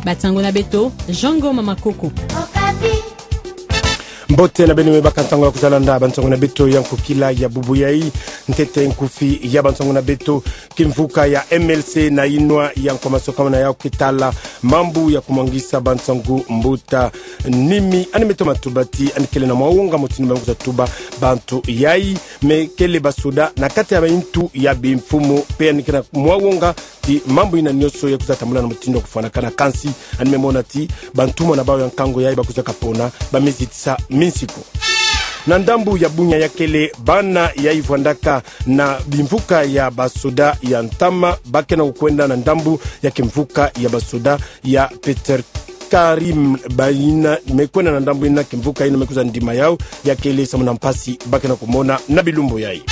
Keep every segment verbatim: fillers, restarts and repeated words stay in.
Bansango na beto, Jean Ngoma Makoko. Mbote na beno me baka ntango ya kwiza landa bansango na beto ya nkokila ya bubu yai. Ntete nkufi ya bansango na beto: kimvuka ya M L C na inwa ya nkwamasokama na yau ke tala mambu ya kumwangisa bansangu, mbuta Nimi, yandi me toma tuba ti yandi kele na mwa wonga motindu ba me kwiza tuba bantu yai me kele basoda na kati ya bantu ya bimfumu, mpe yandi kele na mwa wonga ti mambu yina nyonso ya kwiza tambula na motindu ya kufwanakana. Kansi yandi me mona ti bantumwa na bau ya nkangu yai ba kwizaka pona ba me zitisa minsiku. Na ndambu ya bunya, ya kele bana yai vwandaka na bimvuka ya basoda ya ntama, ba ke na kukwenda na ndambu ya kimvuka ya basoda ya Peter Karim, ba yina me kwenda na ndambu yina, kimvuka yina me kwiza ndima yau, ya kele samu na mpasi ba ke na kumona na bilumbu yai.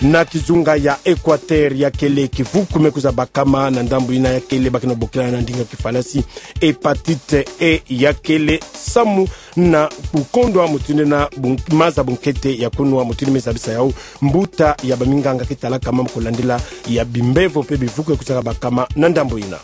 Na kizunga ya Equateur, ya kele kivuku me kwiza bakama na ndambu yina, ya kele ba ke na bokila na ndinga kifalasi hépatite E, ya kele samu na kukondwa motindu na bun-, maza bunkete ya kunwa, motindu me zabisa yau mbuta ya baminganga ke talaka mambu kulandila ya bimbevo mpe bivuku ya kwizaka bakama na ndambu yina.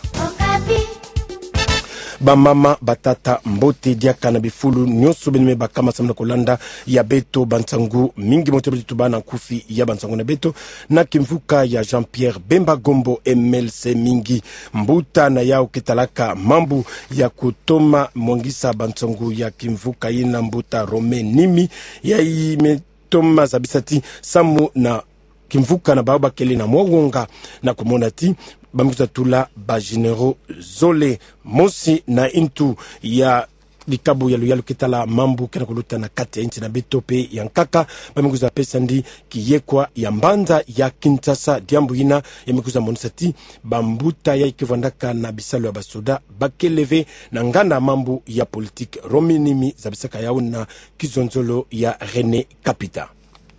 Bamama, batata, mbote diaka na bifulu nyonso beno me bakama samu na kulanda ya beto bansangu. Mingi moto beto tuba na nkufi ya bansangu na beto. Na kimvuka ya Jean-Pierre Bemba Gombo, M L C mingi, mbuta na yau ke talaka mambu ya kutoma mwangisa bansangu ya kimvuka yina, mbuta Romain Nimi, yai me toma zabisa ti samu na kimvuka na bau ba kele na mwa wonga na kumona ti ba me kwiza tula ba généraux zole. Mosi na ntu ya likabu ya luyalu ke tala mambu ke na kuluta na kati ya nsi na beto mpe ya nkaka, ba me kwiza pesa ndi kiyekwa ya mbanza ya Kinshasa. Diambu yina ya me kwiza monisa ti bambuta yai ke vwandaka na bisalu ya basoda ba kele ve na nganda mambu ya politique. Romain Nimi zabisaka yau na kizonzolo ya René Kapita.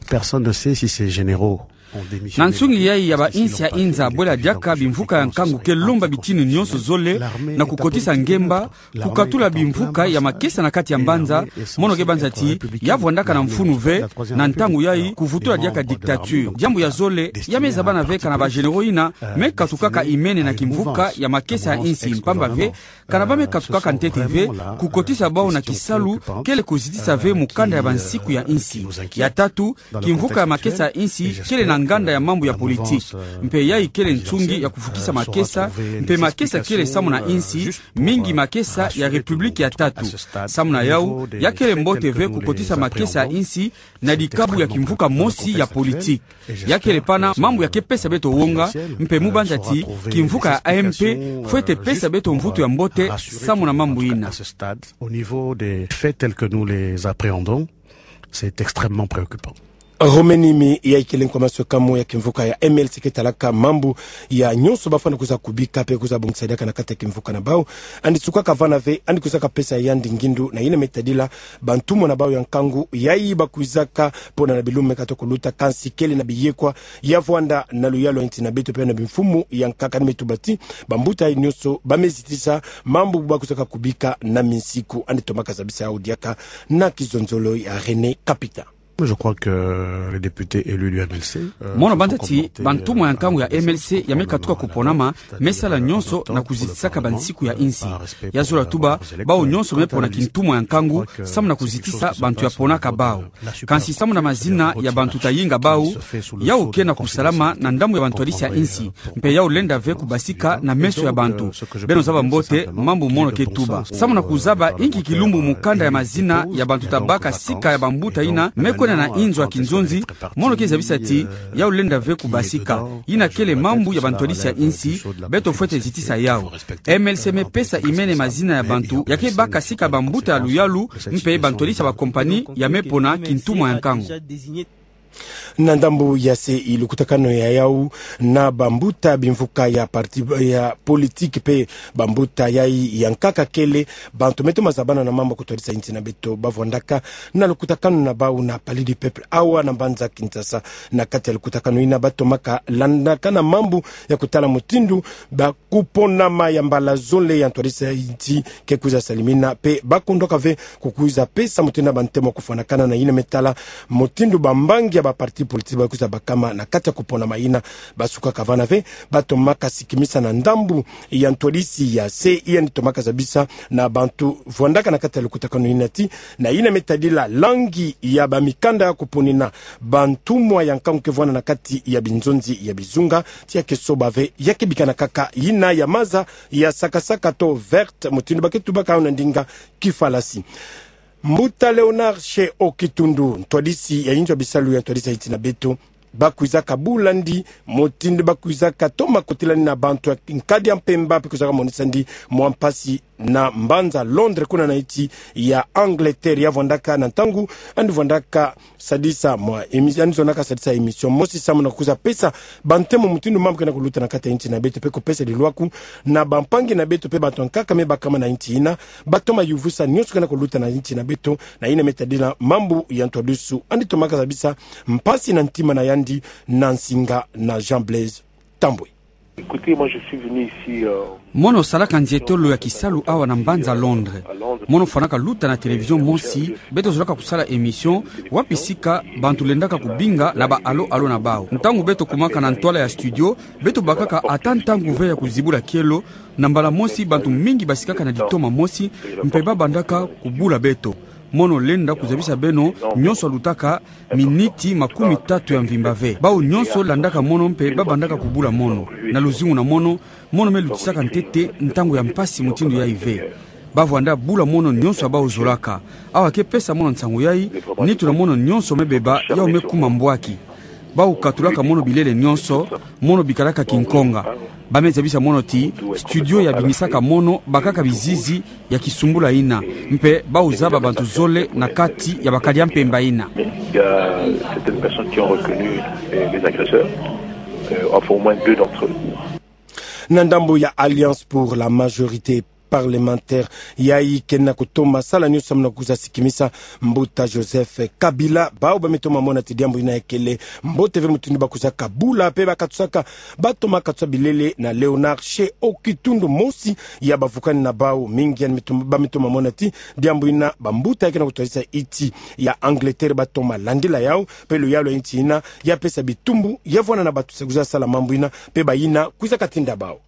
Personne ne sait si ces généraux ont démissionné. Na nsungi yai ya bainsi ya inza, bwela diaka bimvuka ya nkangu ke lomba bitini nyonso zole na kukotisa ngemba, kukatula bimvuka ya makesa na kati ya mbanza. Mono ke banza ti ya vwandaka na mfunu ve na ntangu yai, kuvutula diaka dictature. Diambu ya zole ya me zabana ve kana ba généraux yina me katukaka imene na kimvuka ya makesa ya insi, mpamba ve kana ba me katukaka ntete ve, kukotisa bau na kisalu kele kuzitisa ve mukanda ya bansiku ya insi. Ya tatu, kimvuka ya makesa ya insi kele na nganda ya mambu ya politique, mpe yai kele nsungi ya kufukisa makesa, mpe makesa kele samu na insi, mingi makesa ya République ya tatu. Samu na yau, ya kele mbote ve kukotisa makesa ya insi na likabu ya kimvuka mosi ya politique. Ya kele pana mambu ya ke pesa beto wonga, mpe mu banza ti kimvuka ya A M P fwete pesa beto mvutu ya mbote samu na mambu yina. Au niveau des faits tels que nous les appréhendons, c'est extrêmement préoccupant. Romain Nimi, yai kele nkwamaswekamu ya kimvuka ya M L C ke talaka mambu ya nyonso ba fwana kwiza kubika mpe kwiza bongisa diaka na kati ya kimvuka na bau, yandi sukaka vana ve yandi kwizaka pesa yandi ngindu na yina me tadila bantumwa na bau ya nkangu yai ba kwizaka pona na bilumbu me kata kuluta. Kansi kele na biyekwa ya vwanda na luyalu ya nsi na beto mpe na bimfumu ya nkaka. Yandi me tuba ti bambuta yai nyonso ba me zitisa mambu ba kwizaka kubika na minsiku. Yandi tomaka zabisa yau diaka na kizonzolo ya René Kapita. Je crois que les députés élus du M L C, euh, mono banza ti bantumwa ya nkangu ya M L C ya me katuka kuponama, me sala nyonso na kuzitisaka bansiku ya insi. Ya zola tuba bau nyonso me pona kintumwa ya nkangu samu na kuzitisa bantu ya ponaka bau. Kansi samu na mazina ya bantu ta yinga bau, yau ke na kusalama na ndambu ya bantwadisi ya insi, mpe yau lenda ve kubasika na meso ya bantu. Beno zaba mbote mambu mono ke tuba. Samu na kuzaba inki kilumbu mukanda ya mazina ya bantu ta baka sika ya bambuta yina me kwenda na inzo ya kinzonzi, mono ke zabisa ti yau lenda ve kubasika. Yina kele mambu ya bantwadisi ya insi, beto fwete zitisa yau. M L C me pesa imene mazina ya bantu ya ke baka sika bambuta ya luyalu, mpe bantwadisi ya bakompani ya me pona kintumwa ya nkangu. Na ndambu ya se, i lukutakanu ya yau na bambuta bimvuka ya parti ya politique mpe bambuta yai ya nkaka kele bantu me toma zabana na mambu kutwadisa insi na beto, ba vwandaka na lukutakanu na bau na Palais du Peuple awa na mbanza Kinshasa. Na kati ya lukutakanu yina ba tomaka landakana mambu ya kutala mutindu ba kuponama ya mbala zole ya ntwadisi ya insi ke kwiza salimina, mpe ba kundwaka ve kukwiza pesa mutindu na bantemo kufwanakana na yina me tala mutindu bambangi ya baparti politiki bakwiza bakama na kati ya kupona mayina. Basukaka vana ve, batomaka sikimisa na ndambu ya ntwadisi ya se, yandi tomaka zabisa na bantu vwandaka na kati ya lukutakanu yina ti, na yina me tadila langi ya bamikanda ya kuponina bantumwa ya nkangu ke vwanda na kati ya binzonzi ya bizunga, ti ya ke soba ve, ya ke bikana kaka yina ya maza ya sakasaka to verte, mutindu ba ke tubaka yo na ndinga kifalasi. Mbuta Léonard She Okitundu, ntwadisi ya inzo ya bisalu ya ntwadisi ya insi na beto, bakwizaka bula ndi, mutindu bakwizaka toma kotila ndi na bantu ya nkadi ya mpemba, pe kwizaka monisa ndi mwa mpasi na mbanza Londres, kuna na insi ya Angleterre, ya vwandaka na ntangu yandi vwandaka sadisa mwa émi-, yandi zonaka sadisa émission mosi samu na kwiza pesa bantemo mutindu mambu ke na kuluta na kati ya insi na beto, pe kupesa lilwaku na bampangi na beto, pe bantu ya nkaka me bakama na insi yina, batoma yuvusa nionso ke na kuluta na insi na beto, na yina me tadila mambu ya ntwadisi, yandi tomaka zabisa mpasi na ntima na yandi na nsinga na Jean Blaise Tambwe. Écoutez, moi je suis venu ici, euh, Mono salaka nzietolo ya kisalu awa na mbanza Londres. Mono fwanaka luta na télévision mosi, beto zolaka kusala émission, wapi sika bantu lendaka kubinga na ba allô allô na bawu. Ntangu beto kumaka na ntwala ya studio, beto bakaka ata ntangu ve ya kuzibula kielo, na mbala mosi bantu mingi basikaka na ditoma mosi, mpe babandaka kubula beto. Mono lenda kuzabisa beno nionso alutaka miniti makumi tatu ya mvimba ve. Bawu nionso landaka mono mpe babandaka kubula mono. Na luzingu na mono, mono me lutisaka ntete ntangu ya mpasi mutindu yayi ve. Bavwanda bula mono nionso ya bawu zolaka. Awa ke pesa mono nsangu yayi, nitu na mono nionso me beba, yawu me kuma mbwaki. Bawu katulaka mono bilele nionso, mono bikalaka kinkonga. Ba me zabisa mono ti, studio ya bingisaka mono, bakaka bizizi ya kisumbula yina. Mpe bawu zaba bantu zole na kati ya bakadi ya mpemba yina. Il y a certaines personnes qui ont reconnu les, les agresseurs, euh, enfin au moins deux d'entre eux. Na ndambu ya Alliance pour la majorité parlementaire, yayi ke na kutoma sala nionso samu na kwiza sikimisa mbuta Joseph Kabila, bawu ba me toma mona ti diambu yina ya kele mbote ve mutindu bakwizaka bula, pe ba katusaka, batoma katusa bilele na Léonard She Okitundu, mosi ya bavukani na bawu. Mingi yandi me toma, ba me toma mona ti diambu yina bambuta ya ke na kutwadisa insi ya Angleterre batoma landila yawu, pe luyalu ya insi yina ya pesa bitumbu, ya vwanda na bantu sa kwiza sala mambu yina, pe bayina kwizaka tinda bawu.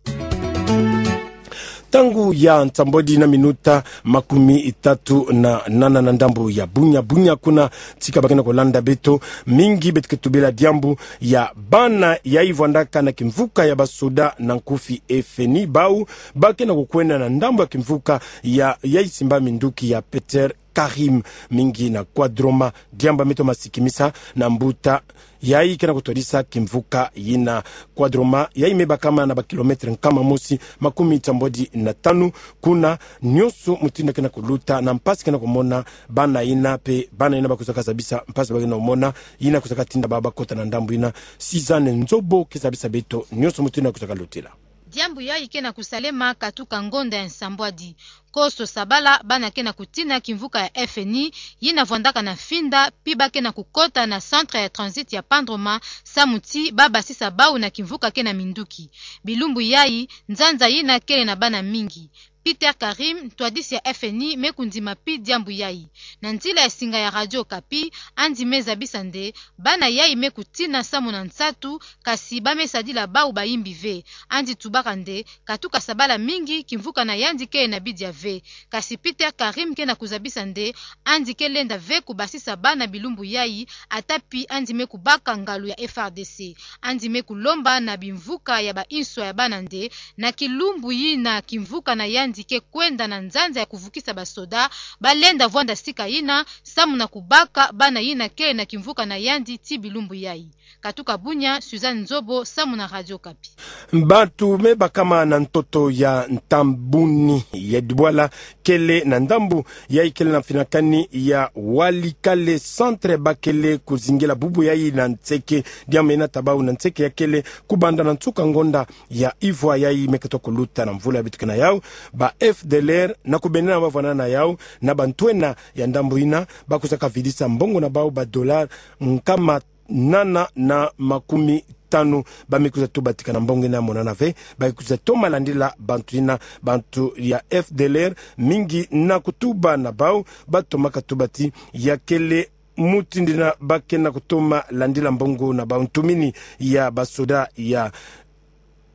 Ntangu ya nsambwadi na minuta makumi tatu na nana na ndambu ya bunya, bunya kuna tika ba ke na kulanda beto, mingi beto ke tubila diambu ya bana yayi vwandaka na kimvuka ya basoda na nkufi F N I, bawu ba ke na kukwenda na ndambu ya kimvuka ya, yayi simba minduki ya Peter Karim, mingi na Kwadroma, diambu ba me toma sikimisa na mbuta yayi ke na kutwadisa kimvuka yina. Kwadroma yayi me bakama na ba kilomètre nkama mosi makumi nsambwadi na tanu kuna, nionso mutindu ke na kuluta na mpasi ke na kumona bana yina, pe bana yina bakwizaka zabisa mpasi ba ke na kumona, yina kwizaka tinda bawu bakota na ndambu yina. Suzanne Nzobo ke zabisa beto nionso mutindu kwizaka lutila. Diambu yayi ke na kusalema katuka ngonda ya nsambwadi. Koso sabala, bana ke na kutina kimvuka ya F N I, yina vwandaka na Finda, pi ba ke na kukota na centre ya transit ya Pandroma, samu ti ba basisa bawu na kimvuka ke na minduki. Bilumbu yayi, nzanza yina kele na bana mingi. Peter Karim, ntwadisi ya F N I, me kundima pi diambu yayi. Na nzila ya singa ya Radio Okapi, yandi me zabisa nde, bana yayi me kutina samu na nsatu, kasi ba me sadila bawu bayimbi ve. Yandi tubaka nde, katuka sabala mingi, kimvuka na yandi ke na bidia ve. Kasi Peter Karim ke na kuzabisa nde, yandi ke lenda ve kubasisa bana bilumbu yayi, ata pi yandi me kubaka ngalu ya F R D C. Yandi me kulomba na bimvuka ya ba inswa ya bana nde, na kilumbu yina kimvuka na yandi ke kwenda na nzanza ya kuvukisa basoda, ba lenda vwanda sika yina, samu na kubaka bana yina kele na kimvuka na yandi ti bilumbu yayi. Katuka bunya, Suzanne Nzobo, samu na Radio Okapi. Bantu me bakama na ntoto ya Ntambuni ya Dibwala kele na ndambu yayi kele na mfinakani ya Walikale centre ba kele kuzingila bubu yayi na nseke, diambu yina ta bawu na nseke ya kele kubanda na nsuka ngonda ya ivwa yayi me katuka kuluta na mvula ya beto ke na yawu, ba F D L R na kubendana ba vwandana na yawu na bantwenia ya ndambu yina, bakwizaka vidisa mbongo na bawu ba dollar nkama nana na makumi tanu, ba me kwiza tubatika na mbongo yina monana ve, ba kwiza toma landila bantu yina, bantu ya F D L R mingi na kutuba na bawu, ba tomaka tuba ti ya kele mutindu yina ba kena kutoma landila mbongo na bau ntumini ya basoda ya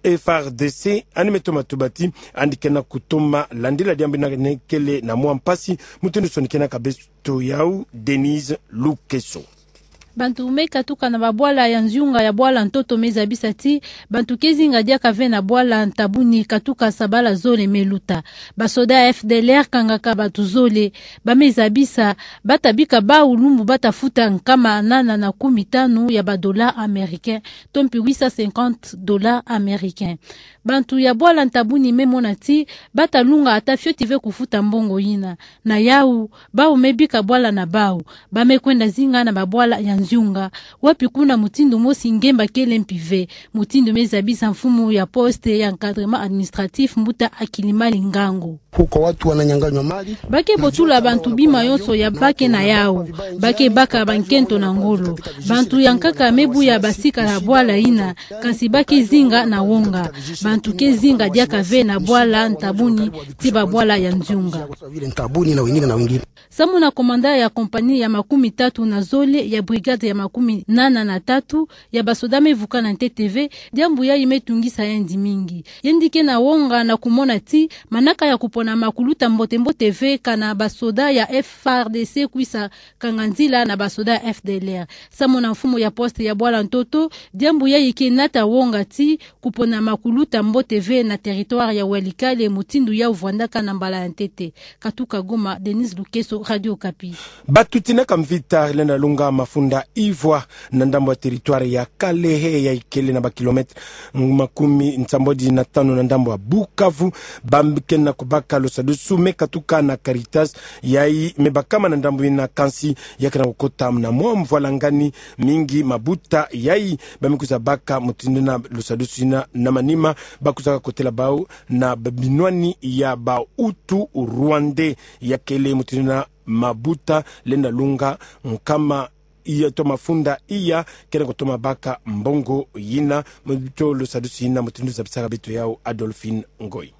F A R D C, yandi me toma tuba ti yandi kena kutoma landila diambu yina kele na mwa mpasi. Mutindu sonikena ka beto yau Denise Lukeso. Bantu me katuka na babwala ya nziunga ya bwala ntoto me zabisa ti bantu ke zinga diaka ve na bwala nta bu ni katuka sabala zole me luta. Basoda ya F D L R kangaka bantu zole, ba me zabisa, ba ta bika bau lumbu ba ta futa nkama nana na kumi tanu ya ba dollars américains, to mpi huit cent cinquante dollars américains. Bantu ya bwala nta bu ni me mona ti ba ta lunga ata fioti ve kufuta mbongo yina. Na yau, bau me bika bwala na bau, ba me kwenda zinga na babwala ya nziunga, wapi kuna mutindu mosi ngemba kele mpi ve, mutindu me zabisa mfumu ya poste ya encadrement administratif, mbuta Akilimali Ngango. Huko watu wananyang'anywa mali. Ba ke botula bantu bima yonso ya ba ke na yau. Ba ke baka bankento na ngolo. Bantu ya nkaka me buya basika na bwala yina, kansi ba ke zinga na wonga. Bantu ke zinga diaka ve na bwala nta bu ni tii babwala ya nziunga. Samu na komanda ya kompani ya makumi tatu na zole ya brigade ya makumi nana na tatu ya basoda me vuka na ntete ve, diambu yayi me tungisa yandi mingi. Yandi ke na wonga na kumona ti manaka ya kupona makuluta mbote-mbote ve kana basoda ya F A R D C kwisa kanga nzila na basoda ya F D L R. Samu na mfumu ya poste ya bwala ntoto, diambu yayi ke nata wonga ti kupona makuluta mbote ve na territoire ya Walikale, mutindu yau vwandaka na mbala ya ntete. Katuka Goma, Denise Lukeso, Radio Okapi. Batuti na kamvita lenda lunga mafunda ivwa na ndambu ya territoire ya Kalehe, yayi kele na ba kilomètre makumi nsambwadi na tanu na ndambu ya Bukavu, ba kena kubaka losadusu me katuka na Caritas, yayi me bakama na ndambu yina, kansi ya kena kukota na mwa mvwalangani mingi mabuta yayi ba me kwiza baka mutindu yina losadusu yina. Na manima, ba kwizaka kotela bau na binwani ya ba Hutu Rwandais, ya kele mutindu yina mabuta lenda lunga nkama iya to mafunda iya kena kutoma baka mbongo yina. Mutindu losadusu yina, mutindu zabisaka beto yau Adolphine Ngoyi.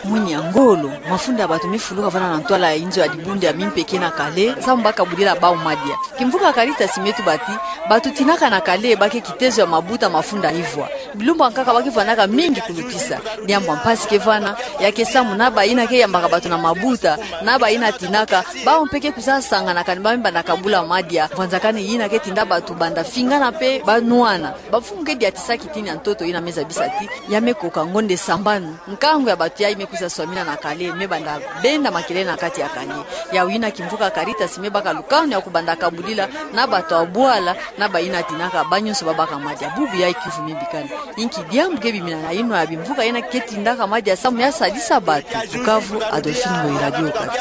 Mwini ya ngolo, mafunda ya batu me fuluka vana na ntwala ya inzo ya dibundu ya Mimpeke na Kalehe, samu baka budila bau madia. Kimvuka Caritas me tuba ti batu tinaka na Kalehe ba ke kitezo ya mabuta mafunda ivwa. Bilumbu ya nkaka ba ke vwanaka mingi kulutisa. Diambu ya mpasi ke vana, ya ke samu na bayina ke yambaka batu na mabuta, na bayina tinaka, bau mpe ke kwiza sangana kani ba me banda kabula madia. Vwanzakani yina ke tinda batu banda fingana mpe ba nwana. Bamfumu ke diatisa kitini ya ntoto yina me zabisa ti ya me koka ngonde sambanu. Nkangu ya batu yayi me kwiza swamina na Kalehe, me banda benda makelele na kati ya Kalehe. Yau yina kimvuka Caritas me baka lukanu ya kubanda kabudila na batu ya bwala, na bayina tinaka, ba nyonso ba baka madia. Bubu yayi kiuvu me bikani. Inki diambu ke bimina na inwa ya bimvuka yina ke tindaka madia samu ya sadisa batu? Bukavu, Adolphine Ngoyi, Radio Okapi.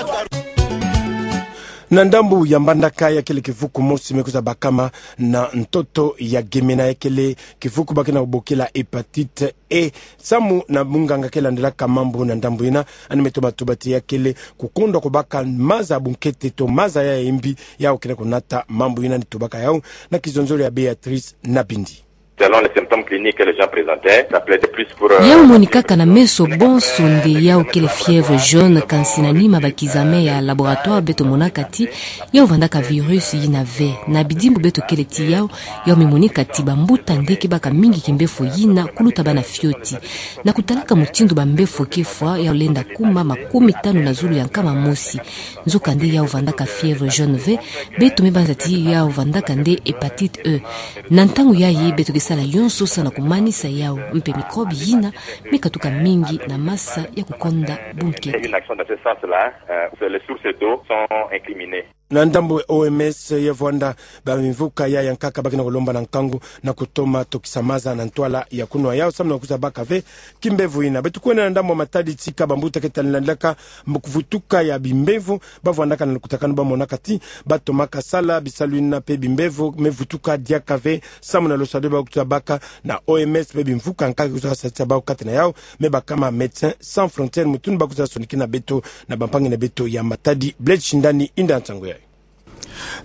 Na ndambu ya Mbandaka, ya kele kivuku mosi me kwiza bakama na ntoto ya Gemena, ya kele kivuku ba kena kubokila hépatite E. Samu na munganga ke landilaka mambu na ndambu yina, yandi me toma tuba ti ya kele kukondwa kubaka maza bunkete to maza ya yembi, yau kele kunata mambu yina. Yandi tubaka yau na kizonzolo ya Béatrice Nabindi. Selon les symptômes cliniques que les gens présentaient, ça plaidait plus pour, euh, yau monikaka na meso bonso nde yau kele fièvre jaune, kansi na nima ba kizame ya laboratoire beto monaka ti yau vandaka virus yina ve. Na bidimbu beto kele ti yau, yau me monika ti bambuta nde ke baka mingi kimbefo yina kuluta bana fioti. Na kutalaka mutindu bambefo ke fwa, yau lenda kuma makumi tanu na zulu ya nkama mosi. Nzokande yau vandaka fièvre jaune ve, beto me banza ti yau vandaka nde hépatite E. Na ntangu yayi beto ke sala yonso sa na kumanisa yau, mpe microbe yina me katuka mingi na masa ya kukonda bunkete. Une action dans ce sens-là, euh, les sources d'eau sont incriminées. Na ndambu ya O M S, ya vwanda bamimvuka ya yankaka ba kena kulomba na nkangu na kutoma tokisa maza na ntwala ya kunwa yau samu na kwiza baka ve kimbevo yina. Beto kwenda na ndambu ya matadi, tika bambuta ke tala landilaka mbo kuvutuka ya bimbevo, ba vwandaka na lukutakanu ba monaka ti ba tomaka sala bisalu yina mpe bimbevo me vutuka diaka ve samu na losado ba kwiza baka. Na O M S mpe bimvuka nkaka kwiza sadisa bau kati na yau, me bakama Médecins Sans Frontières, mutindu ba kwiza sonikina beto na bampangi na beto ya matadi. Blaise Shindani, inda nsangu yayi.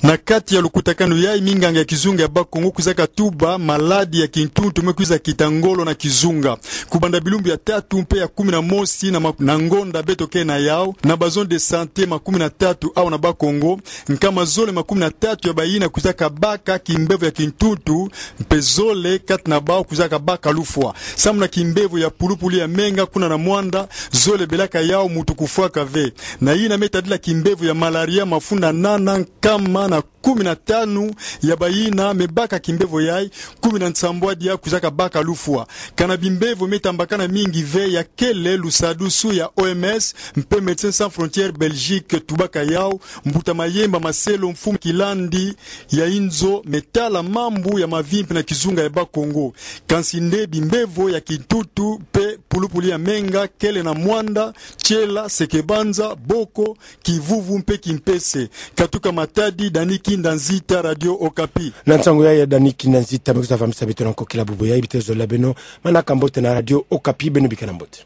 Na kati ya lukutakanu yayi, minganga ya kizunga ya Bas-Congo kwizaka tuba maladi ya kintuntu me kwiza kita ngolo na kizunga. Kubanda bilumbu ya tatu mpe ya kumi na mosi na ma-, na ngonda beto ke na yau, na ba zone de santé makumi na tatu awa na Bas-Congo, nkama zole makumi na tatu ya bayina kwizaka baka kimbevo ya kintuntu, mpe zole kati na bau kwizaka baka lufwa. Samu na kimbevo ya pulupulu ya menga kuna na Muanda, zole belaka yau muntu kufwaka ve. Na yina me tadila kimbevo ya malaria, mafunda nana nkama na kumi na tanu ya bayina me baka kimbevo yayi, kumi na nsambwadi ya kwizaka baka lufwa. Kana bimbevo me tambakana mingi ve ya kele lusadusu ya O M S mpe Médecins Sans Frontières Belgique tubaka yau, mbuta Mayemba Marcelo, mfumu kilandi ya inzo me tala mambu ya mavimpi na kizunga ya Bas-Congo. Kansi nde bimbevo ya kintuntu mpe pulupulu ya menga kele na Muanda, Tsiela, Sekebanza, Boko, Kivuvu mpe Kimpese. Katuka Matadi, Dani Kinda Nzita, Radio Okapi. Na nsangu yayi ya Dani Kinda Nzita, me kwiza vamisa beto na nkokila bubu yayi, bitezo la beno manaka mbote na Radio Okapi, beno bikana mbote.